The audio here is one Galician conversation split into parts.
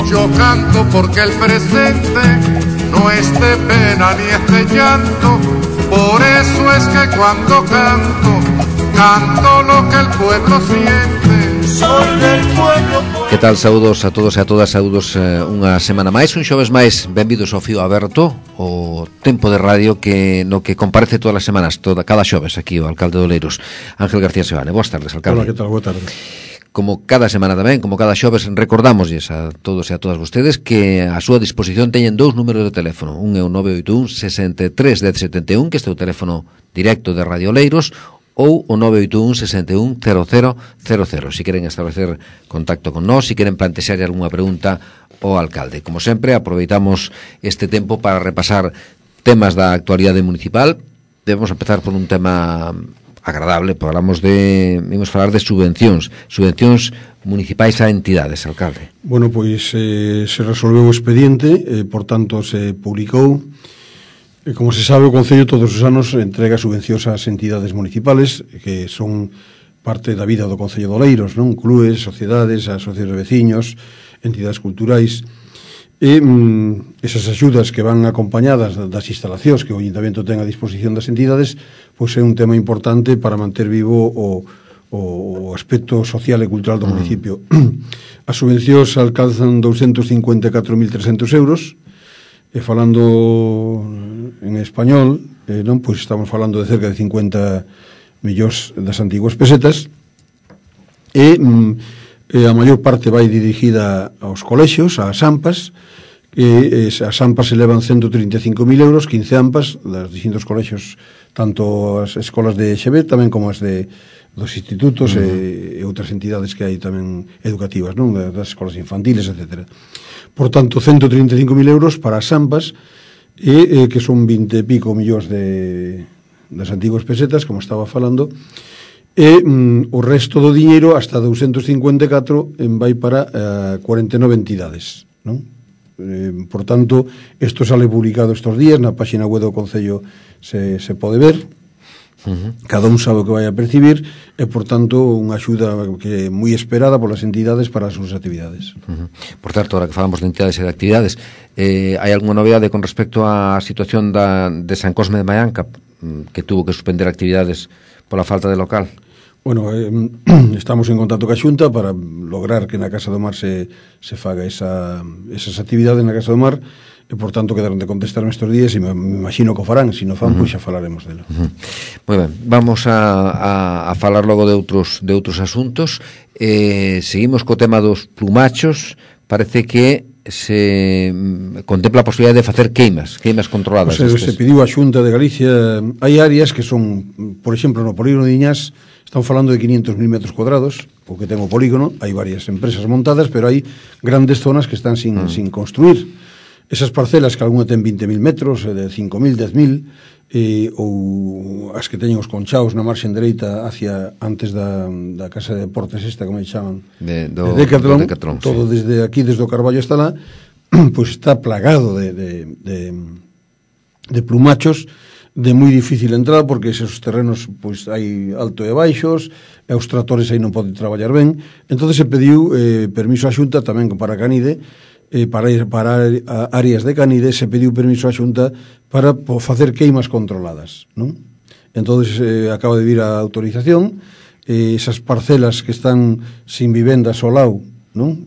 Yo canto porque el presente no es de pena ni es de llanto, por eso es que cuando canto, canto lo que el pueblo siente. Soy del pueblo. Que tal, saúdos a todos e a todas, saúdos unha semana máis, un xoves máis, benvidos ao Fío Aberto, o tempo de radio que no que comparece todas as semanas, cada xoves aquí o alcalde de Oleiros, Ángel García Sebane. Boas tardes, alcalde. Hola, que tal? Boa tarde. Como cada semana tamén, como cada xoves, recordámoslles a todos e a todas vostedes que a súa disposición teñen dous números de teléfono. Un é o 981 63 1071, que este é o teléfono directo de Radio Oleiros, ou o 981 61 0000. Si queren establecer contacto con nós, si queren plantexar algunha pregunta ao alcalde. Como sempre, aproveitamos este tempo para repasar temas da actualidade municipal. Debemos empezar por un tema agradable, vamos falar de subvencións municipais a entidades, alcalde. Bueno, pois se resolveu o expediente, por tanto se publicou. Como se sabe, o Concello todos os anos entrega subvencións ás entidades municipales que son parte da vida do Concello de Oleiros, non? Clubes, sociedades, asociacións de veciños, entidades culturais. E esas axudas que van acompañadas das instalacións que o Ayuntamiento ten a disposición das entidades, pois é un tema importante para manter vivo o aspecto social e cultural do municipio. As subvencións alcanzan 254.300 euros, e falando en español, non, pois estamos falando de cerca de 50 millóns das antiguas pesetas, e a maior parte vai dirigida aos colexios, ás AMPAs, e as AMPAs elevan 135.000 euros, 15 AMPAs dos distintos colexios, tanto as escolas de EXB tamén como as dos institutos e outras entidades que hai tamén educativas, non? Das escolas infantiles, etcétera. Por tanto, 135.000 euros para as AMPAs, que son 20 e pico millóns das antiguas pesetas, como estaba falando, e o resto do diñeiro, hasta 254, vai para 49 entidades, non? Por tanto, isto sale publicado estes días, na página web do Concello se pode ver. Cada un sabe o que vai a percibir e, por tanto, unha axuda que é moi esperada polas entidades para as súas actividades. Por certo, ahora que falamos de entidades e de actividades, hai algunha novedade con respecto á situación de San Cosme de Maianca, que tuvo que suspender actividades pola falta de local? Bueno, estamos en contacto ca Xunta para lograr que na Casa do Mar se faga esas actividades na Casa do Mar, e, por tanto, quedaron de contestar nestes días e me imagino que o farán. Se non fan, pois xa falaremos dela. Moi ben, vamos a falar logo de outros asuntos. Seguimos co tema dos plumachos. Parece que se contempla a posibilidade de facer queimas controladas. Se pediu a Xunta de Galicia. Hai áreas que son, por exemplo, no polígono de Iñás, estamos falando de 500.000 metros cuadrados, o que ten o polígono. Hai varias empresas montadas, pero hai grandes zonas que están sin construir. Esas parcelas que algunha ten 20.000 metros, de 5.000, 10.000, ou as que teñen os conchaos na marxen dereita hacia antes da casa de deportes esta, como chaman, de Decathlon, todo desde aquí, desde o Carballo hasta lá, pois está plagado de plumachos de moi difícil entrada, porque esos terrenos pois hai alto e baixos, e os tractores aí non poden traballar ben. Entón se pediu permiso á Xunta tamén para Canide, para áreas de Canide se pediu permiso á Xunta para facer queimas controladas, non? Entón acaba de vir a autorización, esas parcelas que están sin vivendas ao lado, non?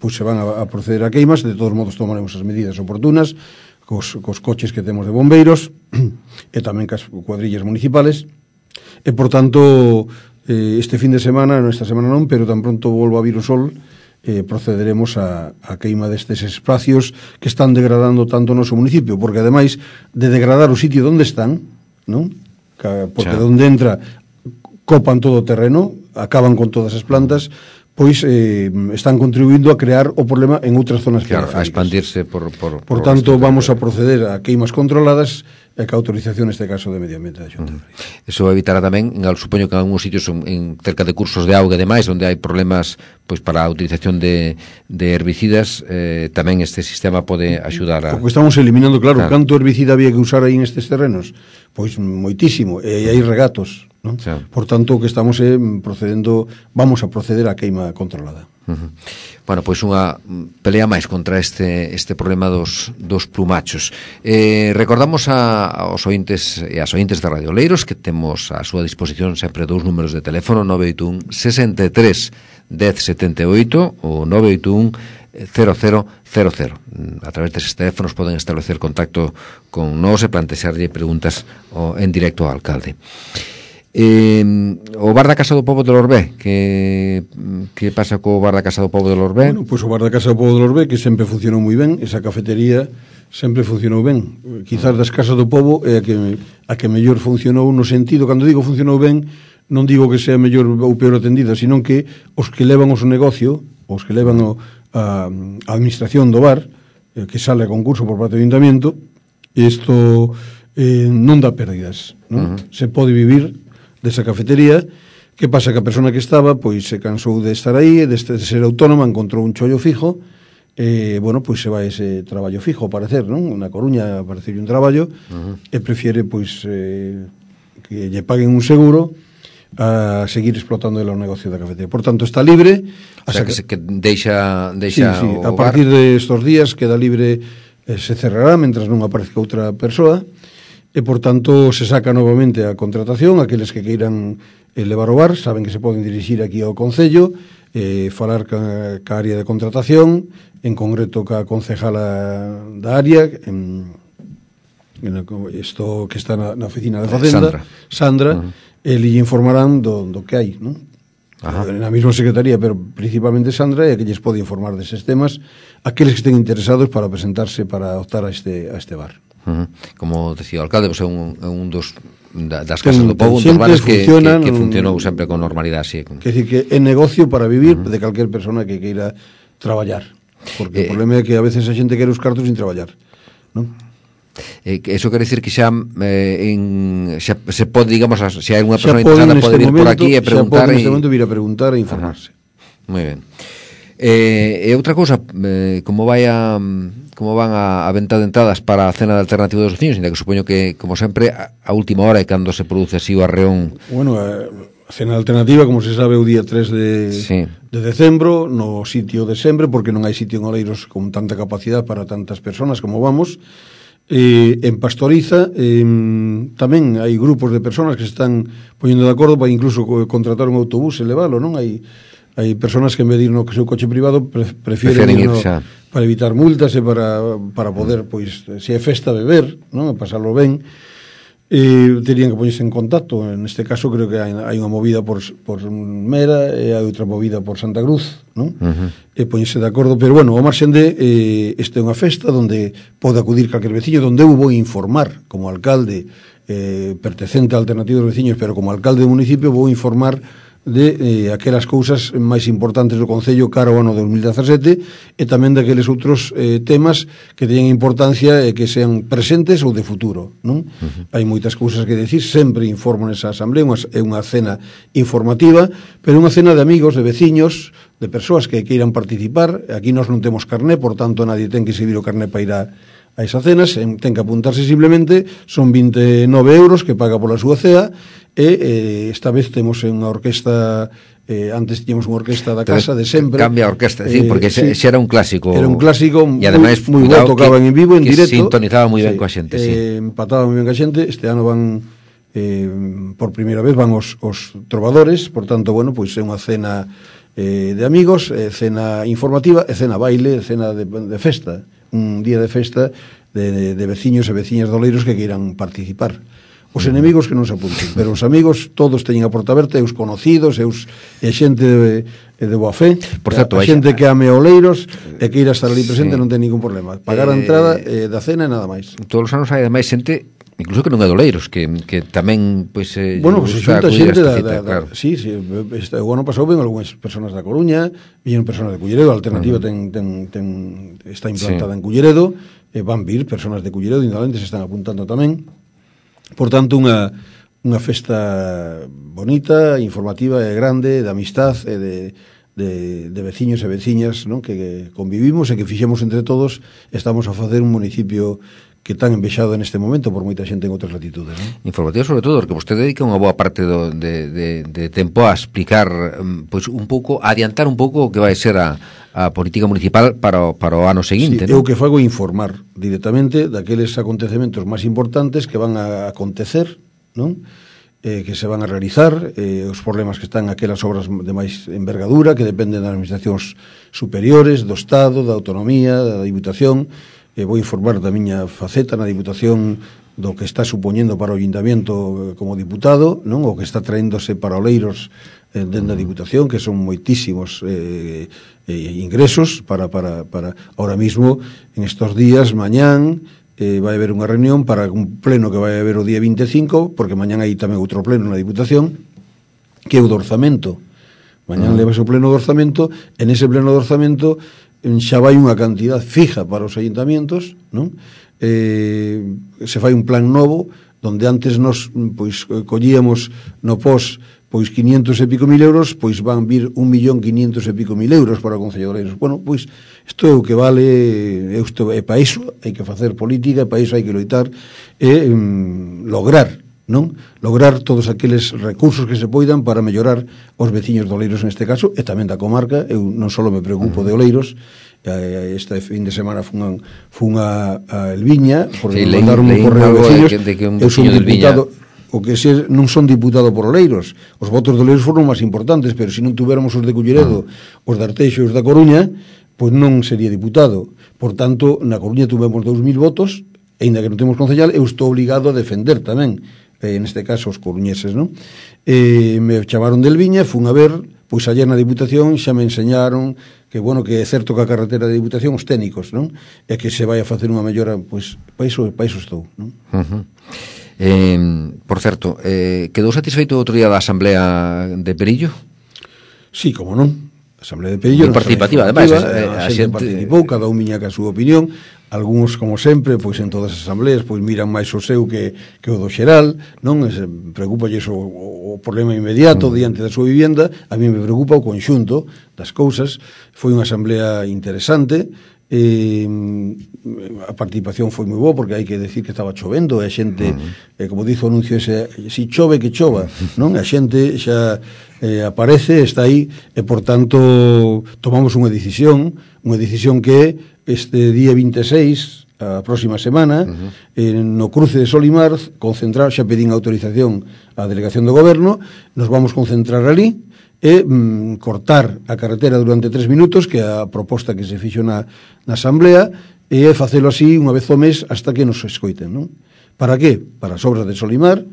Pois se van a proceder a queimas. De todos modos tomaremos as medidas oportunas cos coches que temos de bombeiros e tamén cas cuadrillas municipales, e, por tanto, este fin de semana, esta semana non, pero tan pronto volva a vir o sol, procederemos a queima destes espacios que están degradando tanto o noso municipio, porque ademais de degradar o sitio onde están, non? Porque onde entra copan todo o terreno, acaban con todas as plantas, pois están contribuindo a crear o problema en outras zonas, claro, a expandirse por tanto, vamos a proceder a queimas controladas e ca autorización neste caso de Medio Ambiente da Xunta. Eso evitará tamén, supoño que en algúns sitios en cerca de cursos de auga e demais, onde hai problemas pois para a utilización de herbicidas, tamén este sistema pode axudar a... Porque estamos eliminando, claro, canto herbicida había que usar aí nestes terrenos? Pois moitísimo, e hai regatos, non? Sí. Por tanto, o que estamos vamos a proceder á queima controlada. Bueno, pois unha pelea máis contra este problema dos plumachos. Recordamos aos ointes e as ointes de Radio Oleiros que temos a súa disposición sempre dous números de teléfono, 981 63 1078 ou 981 0000. A través deses teléfonos poden establecer contacto con nós e plantexarlle preguntas en directo ao alcalde. O bar da Casa do Pobo de Lorbé, que pasa co bar da Casa do Pobo de Lorbé? Bueno, pois o bar da Casa do Pobo de Lorbé, que sempre funcionou moi ben, esa cafetería sempre funcionou ben. Quizás das Casas do Pobo é a que mellor funcionou no sentido, cando digo funcionou ben, non digo que sea mellor ou peor atendida, senón que os que levan o seu negocio, os que levan a administración do bar, que sale a concurso por parte do Ayuntamiento, isto non dá pérdidas, non? Se pode vivir desa cafetería. Que pasa? Que a persona que estaba pois se cansou de estar aí, de ser autónoma, encontrou un chollo fijo, bueno, pois se vai ese traballo fijo, ao parecer, non? Na Coruña apareceu un traballo, e prefiere pois que lle paguen un seguro a seguir explotando o negocio da cafetería. Por tanto, está libre. O sea, que deixa sí, a partir de estos días queda libre, se cerrará mentras non aparezca outra persoa, e, por tanto, se saca novamente a contratación. Aqueles que queiran levar o bar saben que se poden dirixir aquí ao Concello, falar ca área de contratación, en concreto ca concejala da área, isto que está na oficina de Facenda, Sandra, e lle informarán do que hai, non? Na mesma secretaría, pero principalmente Sandra, e que lles pode informar deses temas aqueles que estén interesados para presentarse para optar a este bar. Como decía o alcalde, pues é un das Casas do Pobo, un dos bares que funcionou sempre con normalidade, así. Quer dicir que é negocio para vivir de calquer persona que queira traballar, porque o problema é que a veces a xente quere os cartos sin traballar, non? Eso quere dicir que xa se pode, digamos, se hai unha persona interesada pode vir por aquí e preguntar, xa pode neste momento vir a preguntar e informarse. Moi ben. E outra cousa, como van a venta de entradas para a cena de alternativa dos veciños, ainda que supoño que, como sempre, a última hora é cando se produce así o arreón. Bueno, a cena alternativa, como se sabe, o día 3 de decembro, no sitio de sempre, porque non hai sitio en Oleiros con tanta capacidade para tantas personas como vamos. En Pastoriza tamén hai grupos de personas que se están poñendo de acordo para incluso contratar un autobús e leválo, non? Hai personas que en vez de ir no seu coche privado prefieren ir para evitar multas e para poder, pois, se é festa, beber, non? Pasarlo ben. Terían que poñerse en contacto. Neste caso creo que hai unha movida por Mera e hai outra movida por Santa Cruz, non? E poñerse de acordo, pero bueno, ao marxen de esta é unha festa onde pode acudir calquer veciño, onde eu vou informar como alcalde pertencente á Alternativa dos Veciños, pero como alcalde do municipio vou informar de aquelas cousas máis importantes do Concello cara ao ano 2017 e tamén daqueles outros temas que teñen importancia e que sean presentes ou de futuro, non? Hai moitas cousas que decir, sempre informo nesa asamblea, é unha cena informativa, pero unha cena de amigos, de veciños, de persoas que queiran participar. Aquí nós non temos carné, por tanto nadie ten que exhibir o carné para ir a esas cenas, ten que apuntarse simplemente, son 29 euros que paga pola súa cea, e esta vez temos unha orquesta, antes tiñamos unha orquesta da casa de sempre. Cambia a orquesta, porque xa era un clásico. Era un clásico moi bo, tocaban en vivo, en directo. Sintonizaba moi ben coa xente, empataba moi ben coa xente. Este ano van, por primeira vez, van os trovadores, por tanto, bueno, pois é unha cena de amigos, cena informativa, e cena baile, cena de festa, un día de festa de veciños e veciñas de Oleiros que queiran participar. Os enemigos que non se apunten, pero os amigos todos teñen a porta aberta, e os conocidos, e a xente de boa fe. Por certo, a xente que ame Oleiros e que irá estar ali presente non ten ningún problema. Pagar a entrada da cena e nada máis. Todos os anos hai ademais xente, incluso que non é de Oleiros, que tamén, pois, bueno, pues se xunta xente claro. Sí, o ano pasado ven algunhas personas da Coruña, viñeron personas de Culleredo, a Alternativa está implantada en Culleredo, van vir personas de Culleredo, indolentes están apuntando tamén. Por tanto, unha festa bonita, informativa e grande, de amistad e de veciños e veciñas, non? Que convivimos e que fixemos entre todos. Estamos a facer un municipio que tan envexado neste momento por moita xente en outras latitudes, non? Informativo sobre todo, porque vostede dedica unha boa parte de tempo a explicar, pois un pouco, a adiantar un pouco o que vai ser a política municipal para o ano seguinte, sí, non? Eu que fago informar directamente daqueles acontecementos máis importantes que van a acontecer, non? Que se van a realizar, os problemas que están aquelas obras de máis envergadura que dependen das administracións superiores, do Estado, da autonomía, da Diputación. Vou informar da miña faceta na Diputación do que está supoñendo para o Ayuntamiento como diputado, non? O que está traéndose para Oleiros dentro da Diputación, que son moitísimos ingresos para ahora mismo, en estos días, mañán, vai haber unha reunión para un pleno que vai haber o día 25, porque mañán hai tamén outro pleno na Diputación, que é o do orzamento. Mañán levase o pleno do orzamento, en ese pleno do orzamento xa vai unha cantidad fija para os ayuntamientos, non? Se fai un plan novo, donde antes nos pois collíamos no pos pois 500 e pico mil euros, pois van vir 1.500.000 e pico mil euros para o Concello de Oleiros. Bueno, pois isto é o que vale, isto é para iso, hai que facer política, para iso hai que loitar e lograr, non? Lograr todos aqueles recursos que se poidan para mellorar os veciños de Oleiros neste caso, e tamén da comarca. Eu non só me preocupo de Oleiros. Este fin de semana fun a Elviña, porque me mandaron un correo de veciños. Eu son diputado, o que se non son diputado por Oleiros. Os votos de Oleiros foron máis importantes, pero se non tuviéramos os de Culleredo, os de Arteixo e os da Coruña, pois non sería diputado. Por tanto, na Coruña tuvemos 2.000 votos, e ainda que non temos concellal, eu estou obligado a defender tamén, neste caso os coruñeses, non? Me chamaron de Elviña, fun a ver, pois ayer na Diputación xa me enseñaron que, bueno, que é certo que a carretera de Diputación, os técnicos, non? E que se vai a facer unha mellora, pois, para iso estou, non? Por certo, quedou satisfeito outro día da Asamblea de Perillo? Sí, como non. A Asamblea de Perillo moi participativa, ademais, a xente participou, cada un viña ca súa opinión. Algúns, como sempre, pois en todas as asambleas, pois miran máis o seu que o do xeral, non? Preocúpalles o problema inmediato diante da súa vivenda. A mí me preocupa o conxunto das cousas. Foi unha asamblea interesante, a participación foi moi boa, porque hai que decir que estaba chovendo, e a xente, como dice o anuncio ese, si chove que chova, non? A xente xa aparece, está aí, e por tanto tomamos unha decisión que este día 26, a próxima semana, no cruce de Solimar, concentrar, xa pedín autorización á delegación do goberno, nos vamos concentrar ali e cortar a carretera durante 3 minutos, que é a proposta que se fixo na asamblea, e facelo así unha vez ao mes hasta que nos escoiten, non? Para que? Para as obras de Solimar,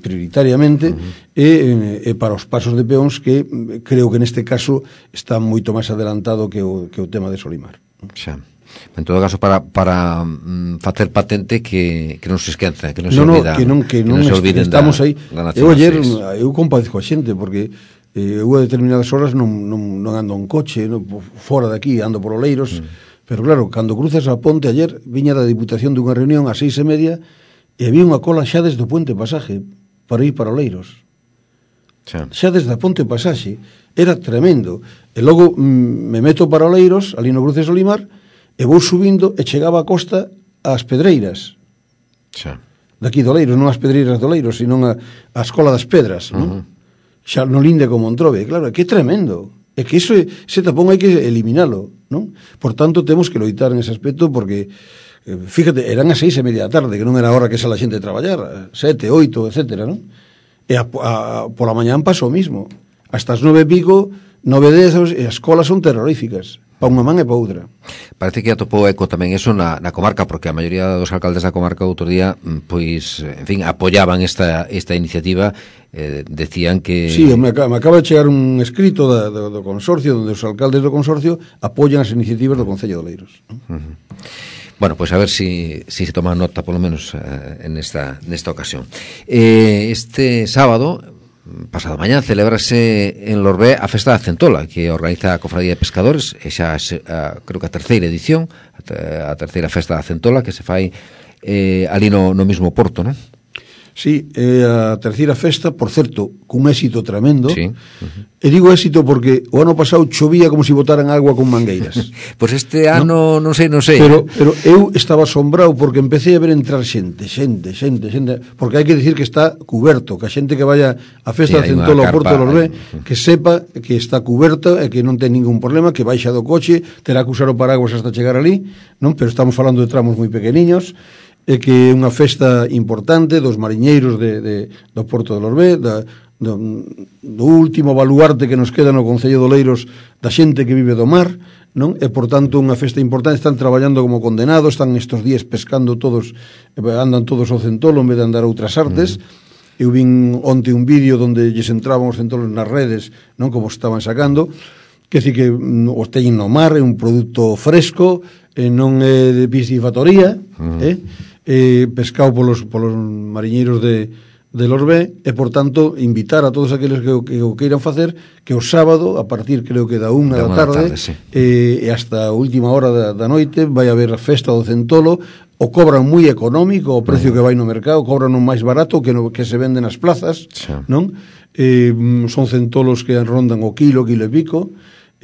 prioritariamente, e para os pasos de peóns, que creo que neste caso está moito máis adelantado que o tema de Solimar. Xa. En todo caso, para facer patente que non se esquenza, que non se olvida, que non se olviden estamos aí. Eu ayer, eu compadezco a xente, porque eu a determinadas horas non ando en coche, fora de aquí, ando por Oleiros, pero claro, cando cruzas a ponte, ayer viña da Diputación dunha reunión ás 6:30 e había unha cola xa desde o Puente Pasaje para ir para Oleiros. Xa desde a Ponte Pasaxe era tremendo. E logo me meto para Oleiros, ali no cruce de Solimar, e vou subindo e chegaba a costa ás Pedreiras. Daqui de Oleiros, non as Pedreiras de Oleiros, sino a Escola das Pedras, non? Xa no linde con Montrobe, claro, que tremendo. É que ese tapón hai que eliminalo, non? Por tanto, temos que loitar en ese aspecto, porque fíjate, eran as 6:30 da tarde, que non era a hora que sala a xente a traballar, 7, 8, etcétera, non? E pola mañán pasou o mismo. Hasta as 9:00, 9:10, e as colas son terroríficas, para unha man e para outra. Parece que atopou eco tamén eso na comarca, porque a maioría dos alcaldes da comarca outro día, pois, en fin, apoyaban esta iniciativa, decían que... Sí, me acaba de chegar un escrito do consorcio, onde os alcaldes do consorcio apoyan as iniciativas do Concello de Oleiros, non? Bueno, pues a ver si se toma nota, por lo menos, en esta ocasión. Este sábado, pasado mañán, celebrase en Lorbé a Festa da Centola, que organiza a Cofradía de Pescadores, e xa creo que a terceira edición, a terceira Festa da Centola, que se fai ali no mismo porto, non? Sí, a terceira festa, por certo, cun éxito tremendo. Sí. E digo éxito porque o ano pasado chovía como se botaran agua con mangueiras. Pois este ano non sei. Pero eu estaba asombrado porque empecé a ver entrar xente, porque hai que decir que está cuberto, que a xente que vaya a festa de Centola ao Porto de Lorbé, que sepa que está cuberta e que non ten ningún problema, que baixa do coche, terá que usar o paraguas hasta chegar ali, non? Pero estamos falando de tramos moi pequeniños, e que é unha festa importante dos mariñeiros do Porto de Lorbé, do último baluarte que nos queda no Concello de Oleiros da xente que vive do mar, non? E, por tanto, unha festa importante. Están traballando como condenados, están estes días pescando todos, andan todos ao Centolo en vez de andar a outras artes. Eu vin onte un vídeo onde lles entraban os centolos nas redes, non? Como estaban sacando, que decir que os teñen no mar, é un produto fresco, non é de piscifactoría, pescado polos mariñeiros de Lorbé, e, por tanto, invitar a todos aqueles que o queiran facer, que o sábado, a partir, creo que da 1 da tarde, sí, e hasta a última hora da noite, vai haber a festa do Centolo. O cobran moi económico, o precio que vai no mercado, cobran o máis barato que se vende nas plazas, sí, non? Son centolos que rondan o quilo e pico,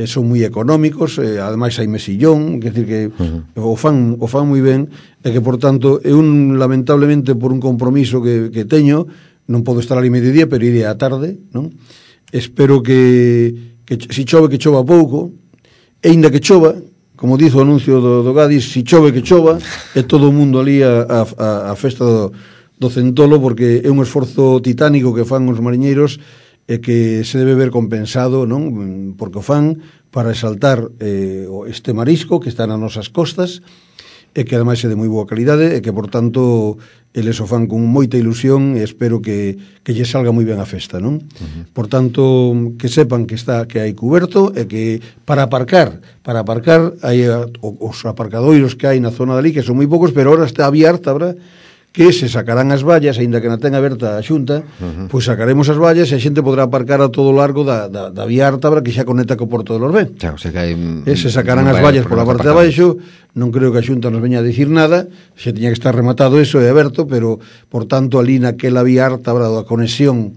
son moi económicos, ademais hai mesillón, quer decir que o fan moi ben, e que, por tanto, eu lamentablemente por un compromiso que teño, non podo estar ali mediodía, pero iré á tarde, non? Espero que si chove, que chova pouco, e inda que chova, como dizo o anuncio do Gadis, si chove, que chova, e todo o mundo ali a festa do Centolo, porque é un esforzo titánico que fan os mariñeiros, e que se debe ver compensado, non? Porque o fan para exaltar este marisco que está nas nosas costas, e que ademais é de moi boa calidade, e que, por tanto, eles o fan con moita ilusión, e espero que lle salga moi ben a festa, non? Por tanto, que sepan que hai cuberto, e que para aparcar hai os aparcadoiros que hai na zona dali, que son moi poucos, pero ahora está abierta, que se sacarán as vallas, aínda que na ten aberta a Xunta, pois sacaremos as vallas e a xente podrá aparcar a todo o largo da vía Ártabra, que xa conecta co Porto de Lorbé. Claro, se sacarán as vallas pola parte de abaixo. Non creo que a Xunta nos veña a dicir nada, xa tiña que estar rematado eso e aberto, pero, por tanto, ali naquela vía Ártabra da conexión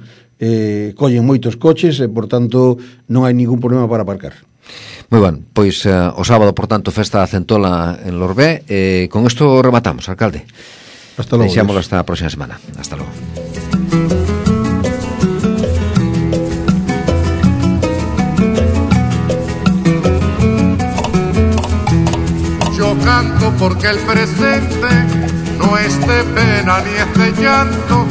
collen moitos coches e, por tanto, non hai ningún problema para aparcar. Moi ben, pois o sábado, por tanto, festa da Centola en Lorbé. Con isto rematamos, alcalde. Hasta logo. Deixámoslo hasta a próxima semana. Hasta logo. Yo canto porque el presente no es de pena ni es de llanto,